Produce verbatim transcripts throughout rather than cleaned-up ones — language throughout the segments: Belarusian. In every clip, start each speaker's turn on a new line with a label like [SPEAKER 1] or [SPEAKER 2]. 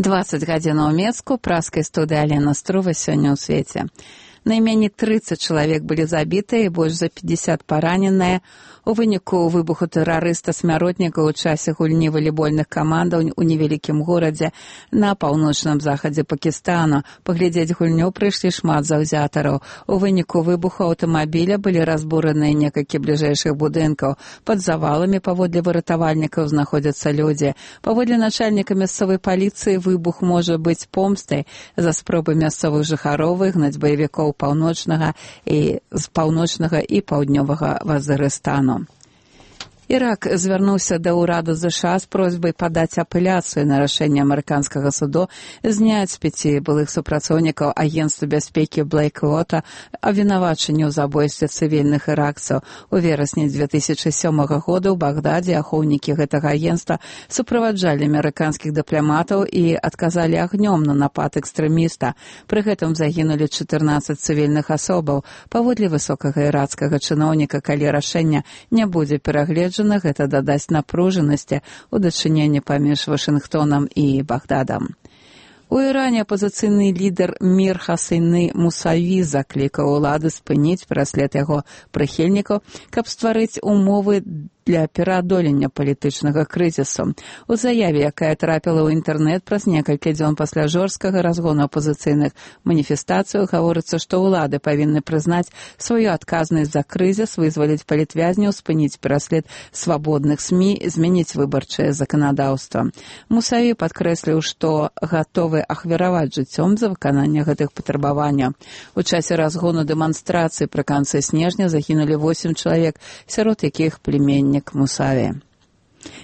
[SPEAKER 1] дваццаць гадзін у Мецку, праскай студыі Алена Струва сёння ў свеце. Найменей трыццаць чалавек былі забітыя і больш за пятьдесят параненыя у выніку выбуху тэрарыста-смяротніка ў часе гульні валейбольных камандаў у невялікім горадзе на паўночным захадзе Пакістану. Паглядзець гульню прыйшлі шмат заўзятараў. У выніку выбуху аўтамабіля былі разбураныя некалькі бліжэйшых будынкаў. Пад заваламі паводле выратавальнікаў знаходзяцца людзі. Паводле начальніка мясцовай паліцыі выбух можа быць помстай за спробы мясцовых жыхароў выгнаць баевікоў паўночнага і з паўночнага і паўднёвага Вазырыстану. Ірак звярнуўся да ўраду ЗША з просьбай падаць апеляцыю на рашэнне амерыканскага суду зняць з пяці былых супрацоўнікаў агенцтва бяспекі Блэйквота абвінавачанне ў забойстве цывільных іракцаў. У верасні дзве тысячы сёмага года ў Багдадзе ахоўнікі гэтага агенцтва суправаджалі амерыканскіх дыпламатаў і адказалі агнём на напад экстрэміста. Пры гэтым загінулі чатырнаццаць цывільных асобаў. Паводле высокага іракскага чыноўніка, калі рашэнне не будзе перагледжана, гэта дадасць напружанасці ў дачыненні паміж Вашынгтонам і Багдадам. У Іране апазіцыйны лідар Мір Хасейны Мусаві заклікаў улады спыніць пераслед яго прыхільнікаў, каб стварыць умовы для пераадолення палітычнага крызісу. У заяве, якая трапіла ў інтэрнэт праз некалькі дзён пасля жорсткага разгону апазіцыйных маніфестацыяў, гаворыцца, што ўлады павінны прызнаць сваю адказнасць за крызіс, вызваліць палітвязняў, спыніць пераслед свабодных СМІ, змяніць выбарчае заканадаўства. Мусаві падкрэсліў, што гатовы ахвяраваць жыццём за выкананне гэтых патрабаванняў. У часе разгону дэманстрацыі пры канцы снежня загінулі восем чалавек, сярод якіх племяннік Мусаві.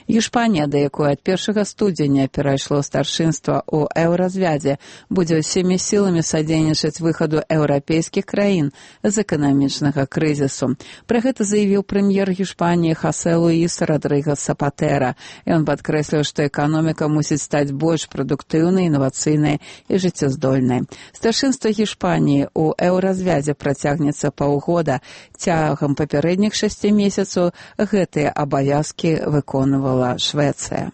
[SPEAKER 1] Іспанія, да якой ад першага студзеня перайшло старшынства ў еўразвядзе, будзе ўсімі сіламі садзейнічаць выхаду еўрапейскіх краін з эканамічнага крызісу. Пра гэта заявіў прэм'ер Іспаніі Хосе Луіс Родрыгес Сапатэра. Ён падкрэсліў, што эканоміка мусіць стаць больш прадуктыўнай, інавацыйнай і жыццяздольнай. Старшынства Іспаніі ў еўразвядзе працягнецца паўгода. Цягам папярэдніх шасці месяцаў гэтыя абавязкі выконвала Швецыя.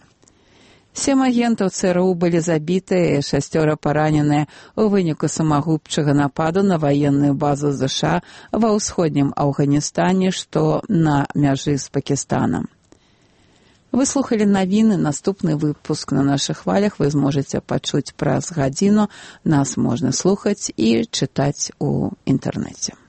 [SPEAKER 1] Сем агентаў ЦРУ былі забітыя і шасцёра параненыя у выніку самагубчага нападу на ваенную базу ЗША ва ўсходнім Афганістане, што на мяжы з Пакістанам. Вы слухалі навіны. Наступны выпуск на нашых хвалях вы зможаце пачуць праз гадзіну. Нас можна слухаць і чытаць у інтэрнэце.